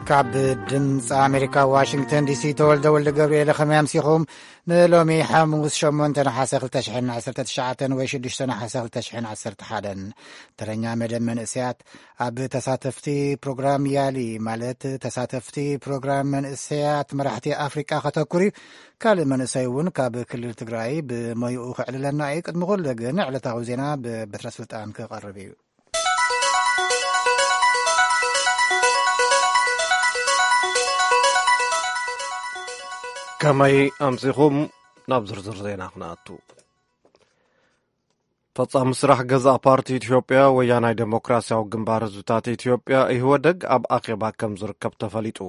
ካብ ድምፂ ኣሜሪካ ዋሽንግተን ዲሲ ተወልደ ወልደ ገብርኤል። ከመይ ኣምሲኹም? ንሎሚ ሓሙስ ሸሞንተ ነሓሰ ክልተ ሽሕን ዓሰርተ ትሽዓተን ወይ ሽዱሽተ ነሓሰ ክልተ ሽሕን ዓሰርተ ሓደን። ተረኛ መደብ መንእሰያት ኣብ ተሳተፍቲ ፕሮግራም ያሊ፣ ማለት ተሳተፍቲ ፕሮግራም መንእሰያት መራሕቲ ኣፍሪቃ ከተኩር እዩ። ካልእ መንእሰይ እውን ካብ ክልል ትግራይ ብሞይኡ ክዕልለና እዩ። ቅድሚ ኩሉ ግን ዕለታዊ ዜና ብበትረ ስልጣን ክቐርብ እዩ። ከመይ ኣምሲኹም? ናብ ዝርዝር ዜና ክንኣቱ። ፈጻሚ ስራሕ ገዛእ ፓርቲ ኢትዮጵያ፣ ወያናይ ዴሞክራሲያዊ ግንባር ህዝብታት ኢትዮጵያ፣ ኢህወደግ፣ ኣብ ኣኼባ ከም ዝርከብ ተፈሊጡ።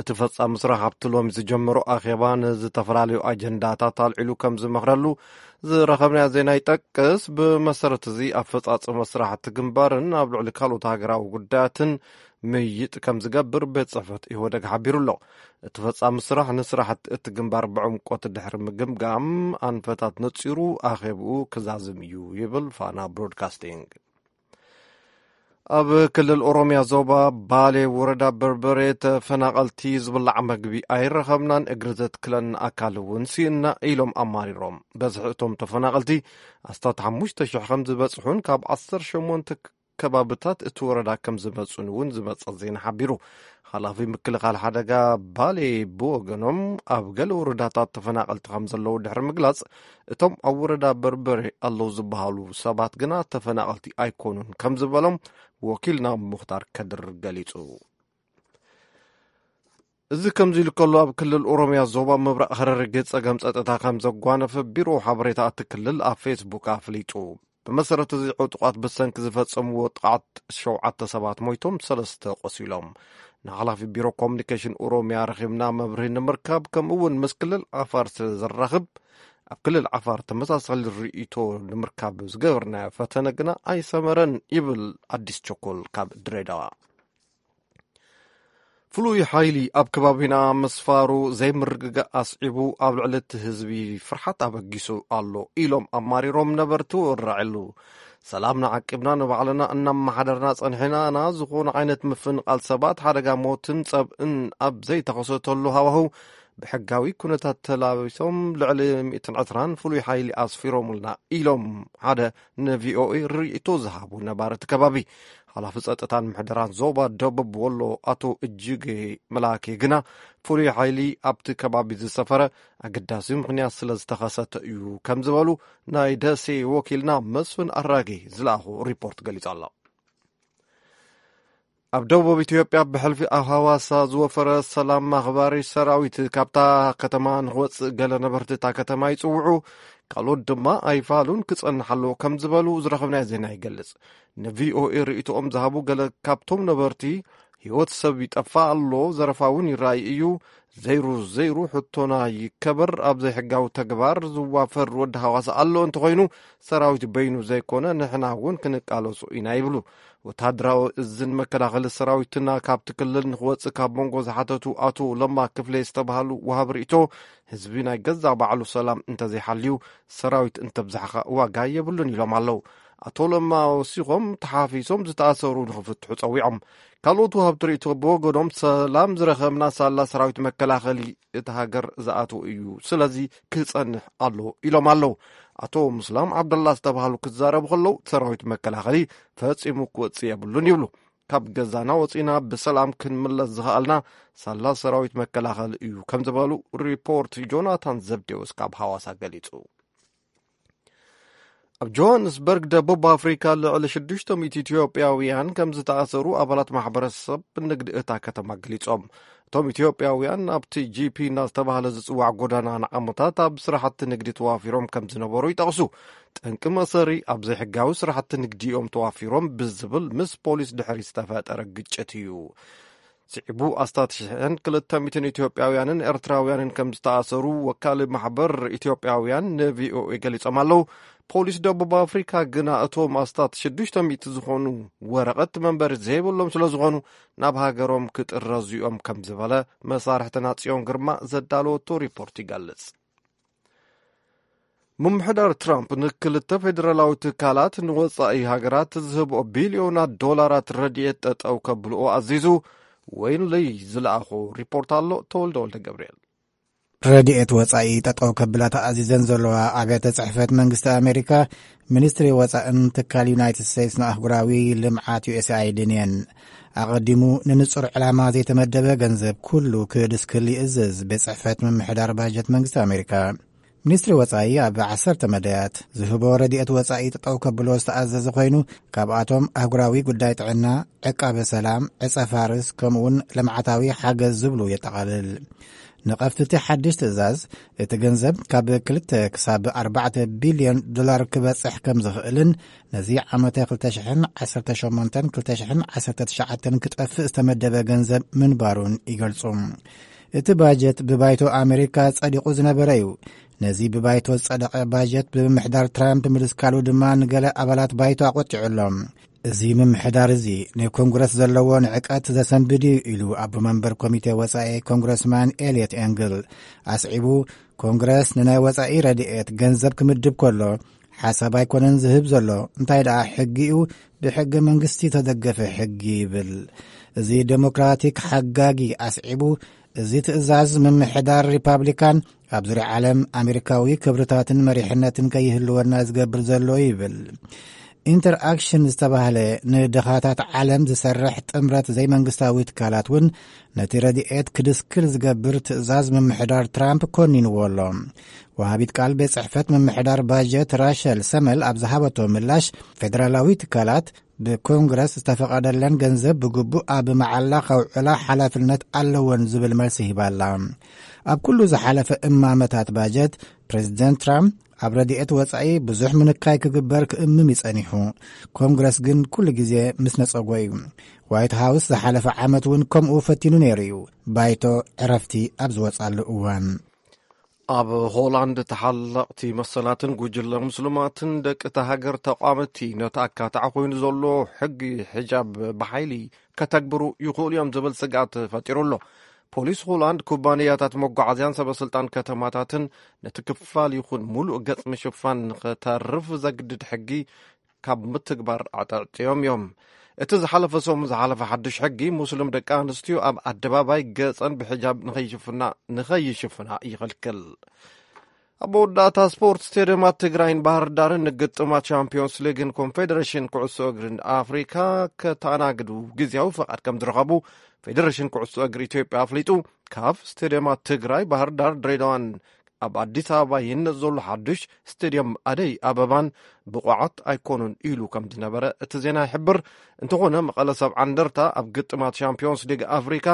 እቲ ፈጻሚ ስራሕ ኣብቲ ሎሚ ዝጀመሮ ኣኼባ ንዝተፈላለዩ ኣጀንዳታት ኣልዒሉ ከም ዝመኽረሉ ዝረኸብናዮ ዜና ይጠቅስ። ብመሰረት እዚ ኣፈጻጽማ ስራሕቲ ግንባርን ኣብ ልዕሊ ካልኦት ሃገራዊ ጉዳያትን ምይጥ ከም ዝገብር ቤት ጽሕፈት ኢህወደግ ሓቢሩ ኣሎ። እቲ ፈጻሚ ስራሕ ንስራሕቲ እቲ ግንባር ብዕምቆት ድሕሪ ምግምጋም ኣንፈታት ነጺሩ ኣኼብኡ ክዛዝም እዩ ይብል ፋና ብሮድካስቲንግ። ኣብ ክልል ኦሮምያ ዞባ ባሌ ወረዳ በርበሬ ተፈናቐልቲ ዝብላዕ መግቢ ኣይረኸብናን፣ እግሪ ዘትክለና ኣካል እውን ስኢንና ኢሎም ኣማሪሮም። በዝሒ እቶም ተፈናቐልቲ ኣስታት ሓሙሽተ ሽሕ ከም ዝበጽሑን ካብ ዓሰርተ ሸሞንተ ከባብታት እቲ ወረዳ ከም ዝመጹን እውን ዝመጸ ዜና ሓቢሩ። ሓላፊ ምክልኻል ሓደጋ ባሌ ብወገኖም ኣብ ገለ ወረዳታት ተፈናቐልቲ ከም ዘለዉ ድሕሪ ምግላጽ፣ እቶም ኣብ ወረዳ በርበሬ ኣለዉ ዝበሃሉ ሰባት ግና ተፈናቐልቲ ኣይኮኑን ከም ዝበሎም ወኪልና ሙኽታር ከድር ገሊጹ። እዚ ከምዚ ኢሉ ከሎ፣ ኣብ ክልል ኦሮምያ ዞባ ምብራቕ ሃረርጌ ጸገም ጸጥታ ከም ዘጓነፈ ቢሮ ሓበሬታ እቲ ክልል ኣብ ፌስቡክ ኣፍሊጡ። ብመሰረት እዚ ዕጡቓት ብሰንኪ ዝፈጸምዎ ጥቓት ሸውዓተ ሰባት ሞይቶም፣ ሰለስተ ቆሲሎም። ንሓላፊ ቢሮ ኮሙኒኬሽን ኦሮምያ ረኺብና መብርሂ ንምርካብ፣ ከምኡ እውን ምስ ክልል ዓፋር ስለ ዘራኽብ፣ ኣብ ክልል ዓፋር ተመሳሳሊ ርእይቶ ንምርካብ ዝገበርናዮ ፈተነ ግና ኣይሰመረን ይብል ኣዲስ ቸኮል ካብ ድሬዳዋ። ፍሉይ ሓይሊ ኣብ ከባቢና ምስፋሩ ዘይምርግጋእ ኣስዒቡ ኣብ ልዕሊ እቲ ህዝቢ ፍርሓት ኣበጊሱ ኣሎ ኢሎም ኣማሪሮም ነበርቲ ወራዕሉ። ሰላምና ዓቂብና ንባዕልና እናመሓደርና ጸኒሕና ኢና፣ ዝኾነ ዓይነት ምፍንቓል ሰባት፣ ሓደጋ ሞትን ጸብእን ኣብ ዘይተኸሰተሉ ሃዋህው ብሕጋዊ ኩነታት ተላቢሶም ልዕሊ ሚእትን ዕስራን ፍሉይ ሓይሊ ኣስፊሮምልና ኢሎም ሓደ ንቪኦኤ ርእይቶ ዝሃቡ ነባሪ እቲ ከባቢ። ሓላፊ ጸጥታን ምሕደራን ዞባ ደቡብ ወሎ ኣቶ እጅጌ መላኬ ግና ፍሉይ ሓይሊ ኣብቲ ከባቢ ዝሰፈረ ኣገዳሲ ምኽንያት ስለ ዝተኸሰተ እዩ ከም ዝበሉ ናይ ደሴ ወኪልና መስፍን ኣራጌ ዝለኣኾ ሪፖርት ገሊጹ ኣሎ። ኣብ ደቡብ ኢትዮጵያ ብሕልፊ ኣብ ሃዋሳ ዝወፈረ ሰላም ኣኽባሪ ሰራዊት ካብታ ከተማ ንኽወጽእ ገለ ነበርቲ እታ ከተማ ይጽውዑ፣ ካልኦት ድማ ኣይፋሉን ክጸንሕ ኣለዎ ከም ዝበሉ ዝረኸብናዮ ዜና ይገልጽ። ንቪኦኤ ርእይቶኦም ዝሃቡ ገለ ካብቶም ነበርቲ፣ ህይወት ሰብ ይጠፋ ኣሎ፣ ዘረፋ እውን ይረኣይ እዩ፣ ዘይሩ ዘይሩ ሕቶና ይከበር፣ ኣብ ዘይሕጋዊ ተግባር ዝዋፈር ወዲ ሃዋሳ ኣሎ እንተኾይኑ ሰራዊት በይኑ ዘይኮነ ንሕና እውን ክንቃለሶ ኢና ይብሉ። ወተሃደራዊ እዝን መከላኸሊ ሰራዊትና ካብቲ ክልል ንኽወጽእ ካብ መንጎ ዝሓተቱ ኣቶ ለማ ክፍሌ ዝተባህሉ ወሃቢ ርእይቶ፣ ህዝቢ ናይ ገዛእ ባዕሉ ሰላም እንተዘይሓልዩ ሰራዊት እንተብዛሕኻ ዋጋ የብሉን ኢሎም ኣለዉ። ኣቶ ለማ ወሲኾም ተሓፊሶም ዝተኣሰሩ ንኽፍትሑ ጸዊዖም። ካልኦት ወሃብቲ ርእይቶ ብወገኖም ሰላም ዝረኸብና ሳላ ሰራዊት መከላኸሊ እቲ ሃገር ዝኣትዎ እዩ፣ ስለዚ ክጸንሕ ኣሎ ኢሎም ኣለዉ። ኣቶ ምስላም ዓብደላ ዝተባህሉ ክዛረቡ ከለዉ ሰራዊት መከላኸሊ ፈጺሙ ክወጽእ የብሉን ይብሉ። ካብ ገዛና ወጺና ብሰላም ክንምለስ ዝኸኣልና ሳላ ሰራዊት መከላኸሊ እዩ ከም ዝበሉ ሪፖርት ጆናታን ዘብዴዎስ ካብ ሃዋሳ ገሊጹ። ኣብ ጆሃንስበርግ ደቡብ ኣፍሪካ ልዕሊ ሽዱሽተ ሚእቲ ኢትዮጵያውያን ከም ዝተኣሰሩ ኣባላት ማሕበረሰብ ንግዲ እታ ከተማ ገሊጾም። እቶም ኢትዮጵያውያን ኣብቲ ጂ ፒ እናዝተባህለ ዝጽዋዕ ጎዳና ንዓመታት ኣብ ስራሕቲ ንግዲ ተዋፊሮም ከም ዝነበሩ ይጠቕሱ። ጠንቂ መእሰሪ ኣብ ዘይሕጋዊ ስራሕቲ ንግዲ እዮም ተዋፊሮም ብዝብል ምስ ፖሊስ ድሕሪ ዝተፈጠረ ግጭት እዩ። ስዒቡ ኣስታት ሽሕን ክልተ ሚእትን ኢትዮጵያውያንን ኤርትራውያንን ከም ዝተኣሰሩ ወካሊ ማሕበር ኢትዮጵያውያን ንቪኦኤ ገሊጾም ኣለዉ። ፖሊስ ደቡብ ኣፍሪካ ግና እቶም ኣስታት ሽዱሽተ ሚእቲ ዝኾኑ ወረቐት መንበሪ ዘይብሎም ስለ ዝኾኑ ናብ ሃገሮም ክጥረዙ እዮም ከም ዝበለ መሳርሕትና ጽዮን ግርማ ዘዳለወቶ ሪፖርት ይገልጽ። ምምሕዳር ትራምፕ ንክልተ ፌደራላዊ ትካላት ንወጻኢ ሃገራት ዝህብኦ ቢልዮናት ዶላራት ረድኤት ጠጠው ከብልኦ ኣዚዙ። ወይን ለይ ዝለኣኾ ሪፖርት ኣሎ። ተወልደ ወልደ ገብርኤል። ረድኤት ወጻኢ ጠጠው ከብላ ተኣዚዘን ዘለዋ ኣብያተ ጽሕፈት መንግስቲ ኣሜሪካ፣ ሚኒስትሪ ወጻእን ትካል ዩናይትድ ስቴትስ ንኣህጉራዊ ልምዓት ዩ ኤስ ኣይድን እየን። ኣቐዲሙ ንንጹር ዕላማ ዘይተመደበ ገንዘብ ኩሉ ክድስክል ይእዝዝ ቤት ጽሕፈት ምምሕዳር ባጀት መንግስቲ ኣሜሪካ። ሚኒስትሪ ወጻኢ ኣብ ዓሰርተ መዳያት ዝህቦ ረድኤት ወጻኢ ጠጠው ከብሎ ዝተኣዘዘ ኮይኑ፣ ካብኣቶም ኣህጉራዊ ጉዳይ ጥዕና፣ ዕቃበ ሰላም፣ ዕጸ ፋርስ፣ ከምኡውን ልምዓታዊ ሓገዝ ዝብሉ የጠቓልል። ንቐፍቲ እቲ ሓድሽ ትእዛዝ፣ እቲ ገንዘብ ካብ ክልተ ክሳብ ኣርባዕተ ቢልዮን ዶላር ክበጽሕ ከም ዝኽእልን፣ ነዚ ዓመተ ክልተ ሽሕን ዓሰርተ ሸሞንተን ክልተ ሽሕን ዓሰርተ ትሽዓተን ክጠፍእ ዝተመደበ ገንዘብ ምንባሩን ይገልጹ። እቲ ባጀት ብባይቶ ኣሜሪካ ጸዲቑ ዝነበረ እዩ። ነዚ ብባይቶ ዝጸደቐ ባጀት ብምምሕዳር ትራምፕ ምድስካሉ ድማ ንገለ ኣባላት ባይቶ ኣቖጢዑ ኣሎ። እዚ ምምሕዳር እዚ ንኮንግረስ ዘለዎ ንዕቀት ዘሰንብድ እዩ ኢሉ ኣቦ መንበር ኮሚቴ ወጻኢ ኮንግረስማን ኤልየት ኤንግል ኣስዒቡ፣ ኮንግረስ ንናይ ወጻኢ ረድኤት ገንዘብ ክምድብ ከሎ ሓሳብ ኣይኮነን ዝህብ ዘሎ፣ እንታይ ደኣ ሕጊ እዩ፣ ብሕገ መንግስቲ ተደገፈ ሕጊ ይብል። እዚ ዴሞክራቲክ ሓጋጊ ኣስዒቡ፣ እዚ ትእዛዝ ምምሕዳር ሪፓብሊካን ኣብ ዙርያ ዓለም ኣሜሪካዊ ክብርታትን መሪሕነትን ከይህልወና ዝገብር ዘሎ ይብል። ኢንተርኣክሽን ዝተባህለ ንድኻታት ዓለም ዝሰርሕ ጥምረት ዘይመንግስታዊ ትካላት እውን ነቲ ረድኤት ክድስክል ዝገብር ትእዛዝ ምምሕዳር ትራምፕ ኮኒንዎ ኣሎ። ወሃቢት ቃል ቤት ጽሕፈት ምምሕዳር ባጀት ራሸል ሰመል ኣብ ዝሃበቶ ምላሽ፣ ፌደራላዊ ትካላት ብኮንግረስ ዝተፈቐደለን ገንዘብ ብግቡእ ኣብ መዓላ ከውዕላ ሓላፍነት ኣለወን ዝብል መልሲ ሂባ ኣላ። ኣብ ኩሉ ዝሓለፈ እማመታት ባጀት፣ ፕሬዚደንት ትራምፕ ኣብ ረድኤት ወጻኢ ብዙሕ ምንካይ ክግበር ክእምም ይጸኒሑ። ኮንግረስ ግን ኩሉ ግዜ ምስ ነጸጎ እዩ። ዋይት ሃውስ ዝሓለፈ ዓመት እውን ከምኡ ፈቲኑ ነይሩ እዩ፣ ባይቶ ዕረፍቲ ኣብ ዝወጻሉ እዋን። ኣብ ሆላንድ ተሓለቕቲ መሰላትን ጉጅለ ሙስልማትን ደቂ እታ ሃገር ተቋምቲ ነቲ ኣካታዒ ኮይኑ ዘሎ ሕጊ ሕጃብ ብሓይሊ ከተግብሩ ይኽእሉ እዮም ዝብል ስግኣት ፈጢሩ ኣሎ። ፖሊስ ሆላንድ ኩባንያታት መጓዓዝያን ሰበስልጣን ከተማታትን ነቲ ክፋል ይኹን ሙሉእ ገጽ ምሽፋን ንኽተርፍ ዘግድድ ሕጊ ካብ ምትግባር ኣዕጠዕጥዮም እዮም። እቲ ዝሓለፈ ሰሙን ዝሓለፈ ሓድሽ ሕጊ፣ ሙስሊም ደቂ ኣንስትዮ ኣብ ኣደባባይ ገጸን ብሕጃብ ንኸይሽፍና፣ ንኸይሽፍና ይኽልክል። ኣብ መወዳእታ ስፖርት፣ ስቴድየማት ትግራይን ባህር ዳርን ንግጥማት ቻምፒዮንስ ሊግን ኮንፌዴሬሽን ኩዕሶ እግርን ኣፍሪካ ከተኣናግዱ ግዝያዊ ፈቓድ ከም ዝረኸቡ ፌዴሬሽን ኩዕሶ እግሪ ኢትዮጵያ ኣፍሊጡ። ካብ ስቴድየማት ትግራይ፣ ባህር ዳር፣ ድሬዳዋን ኣብ ኣዲስ ኣበባ ይህነጽ ዘሎ ሓዱሽ ስቴድየም ኣደይ ኣበባን ብቑዓት ኣይኮኑን ኢሉ ከም ዝነበረ እቲ ዜና ይሕብር። እንተኾነ፣ መቐለ ሰብዓ እንደርታ ኣብ ግጥማት ሻምፒዮንስ ሊግ ኣፍሪካ፣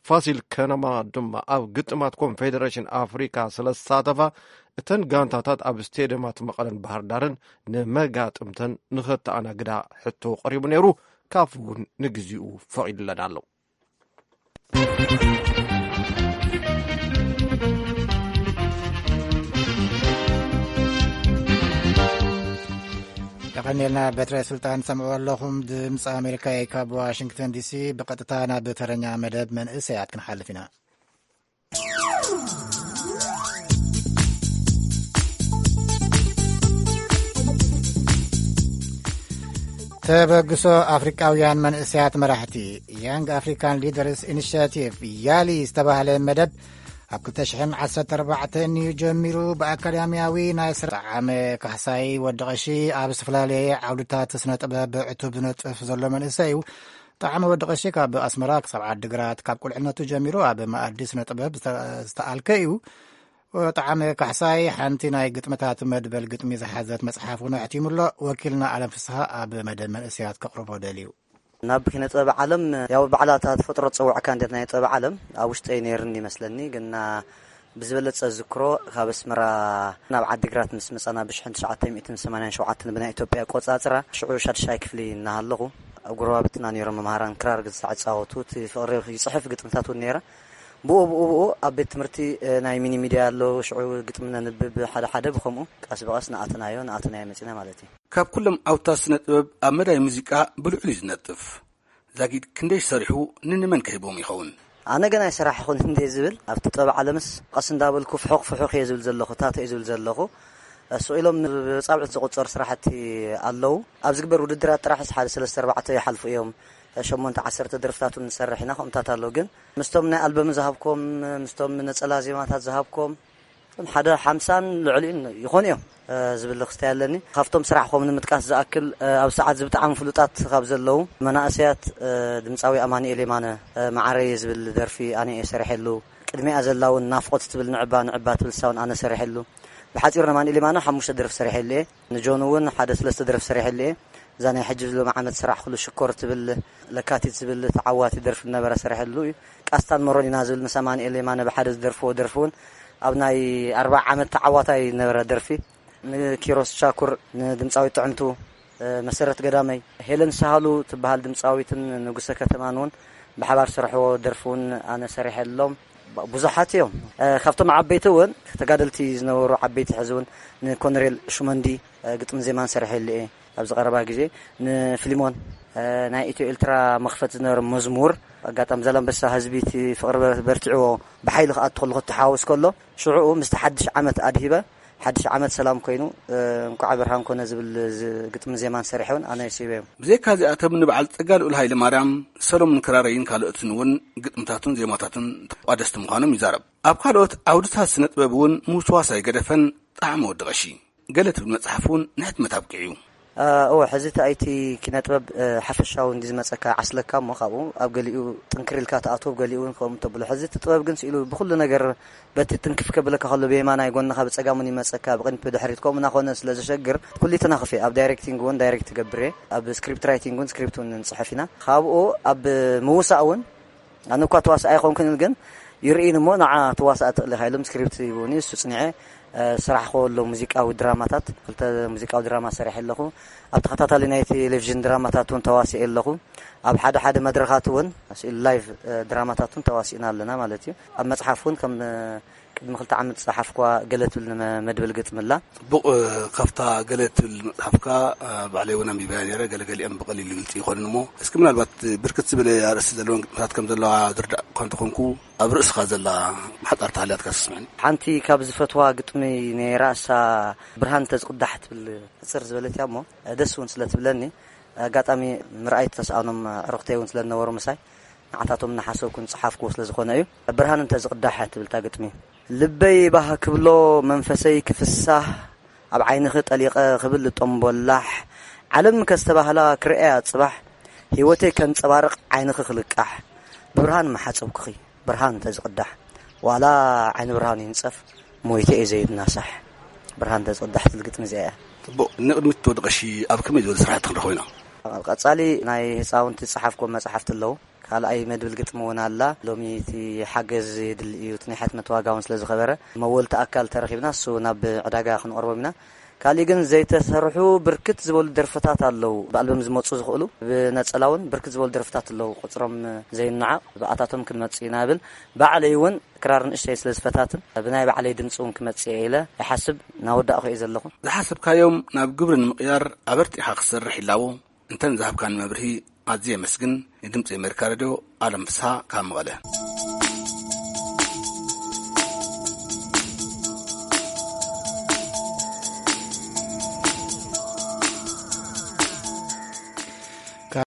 ፋሲል ከነማ ድማ ኣብ ግጥማት ኮንፌዴሬሽን ኣፍሪካ ስለ ዝሳተፋ፣ እተን ጋንታታት ኣብ ስቴድየማት መቐለን ባህር ዳርን ንመጋጥምተን ንኸተኣናግዳ ሕቶ ቀሪቡ ነይሩ። ካፍ እውን ንግዚኡ ፈቒዱለን ኣሎ። የቐኒልና። በትረ ስልጣን ሰምዑ ኣለኹም። ድምፂ ኣሜሪካ እዩ ካብ ዋሽንግተን ዲሲ። ብቐጥታ ናብ ተረኛ መደብ መንእሰያት ክንሓልፍ ኢና። ተበግሶ ኣፍሪቃውያን መንእሰያት መራሕቲ፣ ያንግ ኣፍሪካን ሊደርስ ኢኒሽቲቭ፣ ያሊ ዝተባህለ መደብ፣ ኣብ ክልተ ሽሕን ዓሰርተ ኣርባዕተን እዩ ጀሚሩ። ብኣካዳሚያዊ ናይ ስራ ጣዕመ ካሕሳይ ወዲ ቀሺ ኣብ ዝተፈላለየ ዓውድታት ስነ ጥበብ ዕቱብ ዝነጥፍ ዘሎ መንእሰይ እዩ። ጣዕመ ወዲ ቀሺ ካብ ኣስመራ ክሳብ ዓዲግራት፣ ካብ ቁልዕነቱ ጀሚሩ ኣብ መኣዲ ስነ ጥበብ ዝተ-፣ ዝተኣልከ እዩ። ጣዕመ ካሕሳይ ሓንቲ ናይ ግጥምታት መድበል ግጥሚ ዝሓዘት መጽሓፍ እውን ኣሕቲሙ ኣሎ። ወኪልና ኣለም ፍስሃ ኣብ መደብ መንእሰያት ከቕርቦ ደልዩ። ናብ ኪነ ጥበብ ዓለም፣ ያው ባዕላ እታ ተፈጥሮ ትጸውዐካ እንዴት ናይ ጥበብ ዓለም ኣብ ውሽጠይ ነይርኒ ይመስለኒ። ግና ብዝበለጸ ዝክሮ ካብ ኣስመራ ናብ ዓዲግራት ምስ መጻና ብሽሕን ትሽዓተ ሚእትን ሰማንያን ሸውዓተን ብናይ ኢትዮጵያ ኣቆጻጽራ፣ ሽዑ ሻድሻይ ክፍሊ እናሃለኹ፣ ኣብ ጎረባብትና ነይሮም መምሃራን ክራር ግዝታዕ ይጻወቱ፣ እቲ ፍቕሪ ይጽሕፍ፣ ግጥምታት እውን ነይረ። ብኡ፣ ብኡ፣ ብኡ ኣብ ቤት ትምህርቲ፣ እ፣ ናይ ሚኒ ሚድያ ኣሎ፣ ሽዑ ግጥሚ ነንብብ ሓደ ሓደ፣ ብኸምኡ ቀስ ብቐስ ንኣተናዮ፣ ንኣተናዮ መጺና ማለት እዩ። ካብ ኩሎም ኣውታ ስነ ጥበብ ኣብ መዳይ ሙዚቃ ብልዑል እዩ ዝነጥፍ። ዛጊድ ክንደይ ሰሪሑ፣ ንንመን ከሂቦም ይኸውን? ኣነ ገና ኣይሰራሕኹን እንዴ ዝብል፣ ኣብቲ ጥበብ ዓለምስ ቀስ እንዳበልኩ ፍሑኽ ፍሑኽ እየ ዝብል ዘለኹ፣ ታተ እየ ዝብል ዘለኹ። ስቕ ኢሎም ብጻብዕት ዝቑጸሩ ስራሕቲ ኣለዉ። ኣብ ዝግበር ውድድራት ጥራሕስ ሓደ ሰለስተ ኣርባዕተ ይሓልፉ እዮም። ሸሞንተ ዓሰርተ ደርፍታት እውን ንሰርሕ ኢና። ከምኡታት ኣሎ ግን ምስቶም ናይ ኣልበም ዝሃብኮም፣ ምስቶም ነጸላ ዜማታት ዝሃብኮም፣ እቶም ሓደ ሓምሳን ልዕሊኡን ይኾኑ እዮም፣ እ፣ ዝብል ክስታይ ኣለኒ። ካብቶም ስራሕኮም ንምጥቃስ ዝኣክል፣ እ፣ ኣብ ሰዓት እዚ ብጣዕሚ ፍሉጣት ካብ ዘለዉ መናእሰያት፣ እ፣ ድምጻዊ ኣማኑኤል የማነ፣ እ፣ መዓረይ ዝብል ደርፊ ኣነ እየ ሰሪሐሉ። ቅድሚኣ ዘላ እውን ናፍቆት ትብል ንዕባ ንዕባ ትብል ሳውን ኣነ ሰሪሐሉ። ብሓጺሩ ንኣማኑኤል የማነ ሓሙሽተ ደርፊ ሰሪሐሉ እየ። ንጆን እውን ሓደ ሰለስተ ደርፊ ሰሪሐሉ እየ። እዛ ናይ ሕጂ ሎሚ ዓመት ስራሕ ኩሉ ሽኮር ትብል ለካቲት ዝብል ተዓዋቲ ደርፊ ነበረ ሰሪሐሉ እዩ። ቃስታን መሮኒና ዝብል ምስ ኣማኑኤል የማነ ብሓደ ዝደርፍዎ ደርፊ እውን ኣብ ናይ ኣርባዓ ዓመት ተዓዋታይ ነበረ ደርፊ። ንኪሮስ ቻኩር፣ ንድምጻዊት ጥዕምቱ፣ እ፣ መሰረት ገዳመይ፣ ሄለን ሳህሉ ትበሃል ድምጻዊትን ንጉሰ ከተማን እውን ብሓባር ዝሰርሕዎ ደርፊ እውን ኣነ ሰሪሐሎም። ብ-፣ ብዙሓት እዮም። እ፣ ካብቶም ዓበይቲ እውን ተጋደልቲ ዝነበሩ ዓበይቲ ሕዚ እውን ንኮነሬል ሹመንዲ፣ እ፣ ግጥሚ ዜማን ሰሪሐሉ እየ። ኣብዚ ቀረባ ግዜ ንፊልሞን፣ እ፣ ናይ ኢትዮ ኤልትራ መኽፈት ዝነበረ መዝሙር፣ ኣጋጣሚ ዛላምበሳ ህዝቢ እቲ ፍቕሪ በር-፣ በርቲዕዎ ብሓይሊ ክኣቱ ከሎ ክተሓዋወስ ከሎ ሽዑኡ ምስቲ ሓድሽ ዓመት ኣድሂበ ሓድሽ ዓመት ሰላም ኮይኑ፣ እ፣ እንኳዕ ብርሃን ኮነ ዝብል ዝ-፣ ግጥሚ ዜማን ሰሪሐ እውን ኣነ ስኢበ እዮም። ብዘይካ እዚኣቶም ንበዓል ጸጋ ልኡል ሃይለ ማርያም፣ ሰሎሙን ክራረይን ካልኦትን እውን ግጥምታቱን ዜማታቱን ተቋደስቲ ምዃኖም ይዛረብ። ኣብ ካልኦት ዓውድታት ስነ ጥበብ እውን ምውስዋስ ኣይገደፈን። ጣዕመ ወዲ ቀሺ ገለ ትብል መጽሓፍ እውን ንሕትመት ኣብቂዑ እዩ። እ፣ እወ፣ ሕዚ እቲ ኣይቲ ኪነ ጥበብ፣ እ፣ ሓፈሻዊ እንዲ ዝመጸካ ዓስለካ እሞ ካብኡ ኣብ ገሊኡ ጥንክር ኢልካ ትኣትዎ፣ ኣብ ገሊኡ እውን ከምኡ ተብሎ። ሕዚ እቲ ጥበብ ግን ስኢሉ ብኹሉ ነገር በቲ ጥንክፍ ከብለካ ከሎ ብየማናይ ጎንኻ ብጸጋሙን ይመጸካ፣ ብቕድሚት ብድሕሪት ከምኡ እናኾነ ስለ ዘሸግር ኩሉ ተናኽፍ እየ። ኣብ ዳይሬክቲንግ እውን ዳይሬክት ትገብር እየ፣ ኣብ ስክሪፕት ራይቲንግ እውን ስክሪፕት እውን ንጽሕፍ ኢና። ካብኡ ኣብ ምውሳእ እውን ኣነ እኳ ተዋሳእ ኣይኮንኩን ግን ይርእይን እሞ ንዓ ተዋሳእ ትኽእል ኢኻ ኢሎም ስክሪፕት ሂቡኒ። እሱ ጽኒዐ፣ እ፣ ስራሕ ከወሎ ሙዚቃዊ ድራማታት፣ ክልተ ሙዚቃዊ ድራማ ሰሪሐ ኣለኹ። ኣብ ተኸታታሊ ናይ ቴሌቪዥን ድራማታት እውን ተዋሲኤ ኣለኹ። ኣብ ሓደ ሓደ መድረኻት እውን ስኢሉ ላይቭ፣ እ፣ ድራማታት እውን ተዋሲእና ኣለና ማለት እዩ። ኣብ መጽሓፍ እውን ከም፣ እ፣ ቅድሚ ክልተ ዓመት ዝጸሓፍኳ ገለ ትብል ንመ-፣ መድብል ግጥሚ ኣላ። ጽቡቕ፣ እ፣ ካብታ ገለ ትብል መጽሓፍካ፣ እ፣ ባዕለይ እውን ኣንቢበያ ነይረ። ገለ ገሊኦም ብቐሊሉ ግልጺ ይኾኑን እሞ፣ እስኪ ምናልባት ብርክት ዝበለ ኣርእስቲ ዘለወን ግጥምታት ከም ዘለዋ ዝርዳእ እኳ እንተኾንኩ፣ ኣብ ርእስኻ ዘላ ብሓጻር ተሃልያትካ ስምዕኒ። ሓንቲ ካብ ዝፈትዋ ግጥሚ ነይራ፣ እሳ ብርሃን ተዝቕዳሕ ትብል ሕጽር ዝበለት እያ እሞ፣ እ፣ ደስ እውን ስለ ትብለኒ፣ ኣጋጣሚ ምርኣይ ተስኣኖም ኣዕሩኽተይ እውን ስለ ዝነበሩ ምሳይ፣ ንዓታቶም እናሓሰብኩ ዝጸሓፍክዎ ስለ ዝኾነ እዩ። ብርሃን እንተ ዝቕዳሕ ትብል እታ ግጥሚ። ልበይ ባህ ክብሎ መንፈሰይ ክፍሳህ፣ ኣብ ዓይንኺ ጠሊቐ ክብል ልጦምቦላሕ፣ ዓለም ከስተባህላ ክርእያ ጽባሕ፣ ህይወተይ ከንጸባርቕ ዓይንኺ ክልቃሕ፣ ብብርሃን ምሓጸብኩኺ ብርሃን እንተ ዝቕዳሕ፣ ዋላ ዓይኒ ብርሃን ይንጸፍ፣ ሞይተ እየ ዘይናሳሕ፣ ብርሃን እንተ ዝቕዳሕ ትብል ግጥሚ እዚኣ እያ። ጽቡቕ። ንቕድሚት ወዲ ቀሺ ኣብ ከመይ ዝበለ ስራሕቲ ክንረኽቦ ኢና? ኣብ ቀጻሊ ናይ ህጻውንቲ ዝጸሓፍኮ መጽሓፍቲ ኣለዉ። ካልኣይ መድብል ግጥሚ እውን ኣላ። ሎሚ እቲ ሓገዝ የድሊ እዩ፣ እቲ ናይ ሕትመት ዋጋ እውን ስለ ዝኸበረ፣ መወልቲ ኣካል ተረኺብና፣ እሱ ናብ ዕዳጋ ክንቐርቦም ኢና። ካሊእ ግን ዘይተሰርሑ ብርክት ዝበሉ ደርፍታት ኣለዉ። ብኣልበም ዝመጹ ዝኽእሉ፣ ብነጸላ እውን ብርክት ዝበሉ ደርፍታት ኣለዉ። ቁጽሮም ዘይነዓቕ፣ ብኣታቶም ክንመጽእ ኢና እብል። ባዕለይ እውን ክራር ንእሽተይ ስለ ዝፈታትን፣ ብናይ ባዕለይ ድምጺ እውን ክመጽእ እየ ኢለ ይሓስብ፣ እናወዳእኹ እየ ዘለኹ። ዝሓሰብካዮም ናብ ግብሪ ንምቕያር ኣበርቲዕኻ ክትሰርሕ ይላቦ። እንተን ዝሃብካኒ መብርሂ ኣዝየ የመስግን። ንድምጺ ኣሜሪካ ሬድዮ፣ ኣለም ፍስሃ ካብ መቐለ።